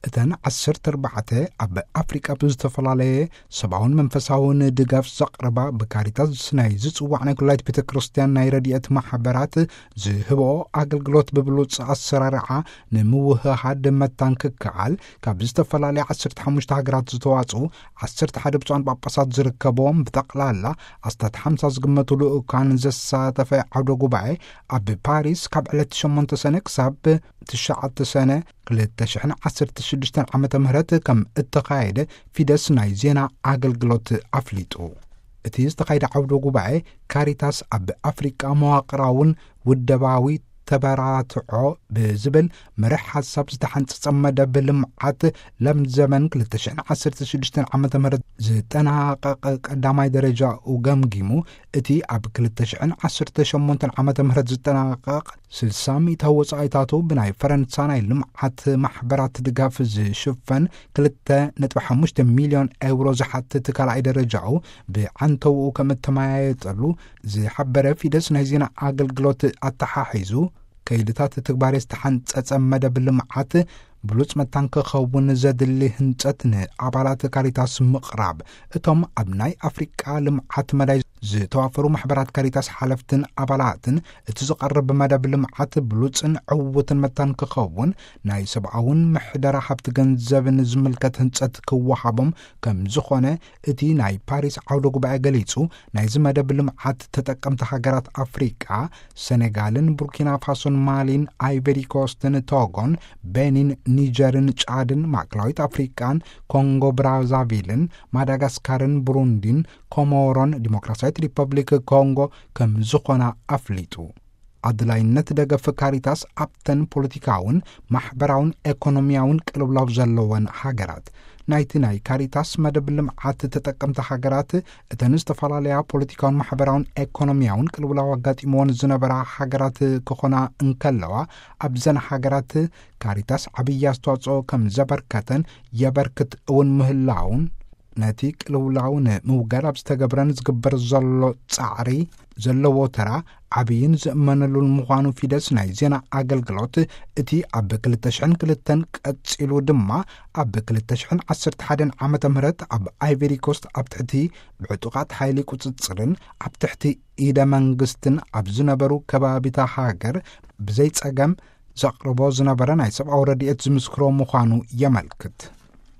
እተን ዓሰርተ ኣርባዕተ ኣብ ኣፍሪቃ ብዝተፈላለየ ሰብኣውን መንፈሳውን ድጋፍ ዘቕርባ ብካሪታስ ናይ ዝጽዋዕ ናይ ኩላይት ቤተ ክርስቲያን ናይ ረድኤት ማሕበራት ዝህብኦ ኣገልግሎት ብብሉጽ ኣሰራርዓ ንምውህሃድ መታን ክከኣል ካብ ዝተፈላለያ ዓሰርተ ሓሙሽተ ሃገራት ዝተዋጽኡ ዓሰርተ ሓደ ብፁዓን ጳጳሳት ዝርከብዎም ብጠቕላላ ኣስታት ሓምሳ ዝግመቱ ልኡካን ዘሳተፈ ዓውደ ጉባኤ ኣብ ፓሪስ ካብ ዕለት ሸሞንተ ሰነ ክሳብ ትሽዓተ ሰነ ክልተ ሽሕን ዓሰርተ ሽዱሽተን ዓመተ ምህረት ከም እተኻየደ ፊደስ ናይ ዜና ኣገልግሎት ኣፍሊጡ። እቲ ዝተኻየደ ዓውደ ጉባኤ ካሪታስ ኣብ ኣፍሪቃ መዋቕራውን ውደባዊ ተበራትዖ ብዝብል መርሕ ሓሳብ ዝተሓንጸጸ መደብ ልምዓት ለምዘመን ክልተ ሽሕን ዓሰርተ ሽዱሽተን ዓመተ ምህረት ዝጠናቐቐ ቀዳማይ ደረጃኡ ገምጊሙ፣ እቲ ኣብ ክልተ ሽሕን ዓሰርተ ሸሞንተን ዓመተ ምህረት ዝጠናቐቕ ስልሳ ሚእታዊ ወጻኢታቱ ብናይ ፈረንሳ ናይ ልምዓት ማሕበራት ድጋፍ ዝሽፈን ክልተ ነጥቢ ሓሙሽተ ሚልዮን ኤውሮ ዝሓትት ካልኣይ ደረጃኡ ብዓንተውኡ ከም እተመያየጠሉ ዝሓበረ ፊደስ ናይ ዜና ኣገልግሎት ኣተሓሒዙ፣ ከይድታት ትግባሬ ዝተሓንጸጸ መደብ ልምዓት ብሉጽ መታን ክኸውን ዘድሊ ህንጸት ንኣባላት ካሪታስ ምቕራብ፣ እቶም ኣብ ናይ ኣፍሪቃ ልምዓት መዳይ ዝተዋፈሩ ማሕበራት ካሪታስ ሓለፍትን ኣባላትን እቲ ዝቐርብ መደብ ልምዓት ብሉጽን ዕዉትን መታን ክኸውን ናይ ሰብኣውን ምሕደራ ሃብቲ ገንዘብን ዝምልከት ህንጸት ክወሃቦም ከም ዝኾነ እቲ ናይ ፓሪስ ዓውደ ጉባኤ ገሊጹ። ናይዚ መደብ ልምዓት ተጠቀምቲ ሃገራት ኣፍሪቃ ሰኔጋልን ቡርኪና ፋሶን ማሊን ኣይቨሪ ኮስትን ቶጎን ቤኒን ኒጀርን ጫድን ማእከላዊት ኣፍሪቃን ኮንጎ ብራዛቪልን ማዳጋስካርን ብሩንዲን ኮሞሮን ዲሞክራሲያዊት ሪፐብሊክ ኮንጎ ከም ዝኾና ኣፍሊጡ። ኣድላይነት ደገፍ ካሪታስ ኣብተን ፖለቲካውን ማሕበራውን ኤኮኖሚያውን ቅልውላው ዘለወን ሃገራት ናይቲ ናይ ካሪታስ መደብ ልምዓት ተጠቀምቲ ሃገራት እተን ዝተፈላለያ ፖለቲካውን ማሕበራውን ኤኮኖሚያውን ቅልውላው ኣጋጢምዎን ዝነበራ ሃገራት ክኾና እንከለዋ፣ ኣብዘን ሃገራት ካሪታስ ዓብዪ ኣስተዋጽኦ ከም ዘበርከተን የበርክት እውን ምህላውን፣ ነቲ ቅልውላው ንምውጋድ ኣብ ዝተገብረን ዝግበር ዘሎ ጻዕሪ ዘለዎ ተራ ዓብይን ዝእመነሉን ምዃኑ ፊደስ ናይ ዜና ኣገልግሎት፣ እቲ ኣብ ክልተ ሽሕን ክልተን ቀጺሉ ድማ ኣብ ክልተ ሽሕን ዓሰርተ ሓደን ዓመተ ምህረት ኣብ ኣይቨሪ ኮስት ኣብ ትሕቲ ብዕጡቓት ሓይሊ ቁጽጽርን ኣብ ትሕቲ ኢደ መንግስትን ኣብ ዝነበሩ ከባቢታ ሃገር ብዘይ ጸገም ዘቕርቦ ዝነበረ ናይ ሰብኣዊ ረድኤት ዝምስክሮ ምዃኑ የመልክት።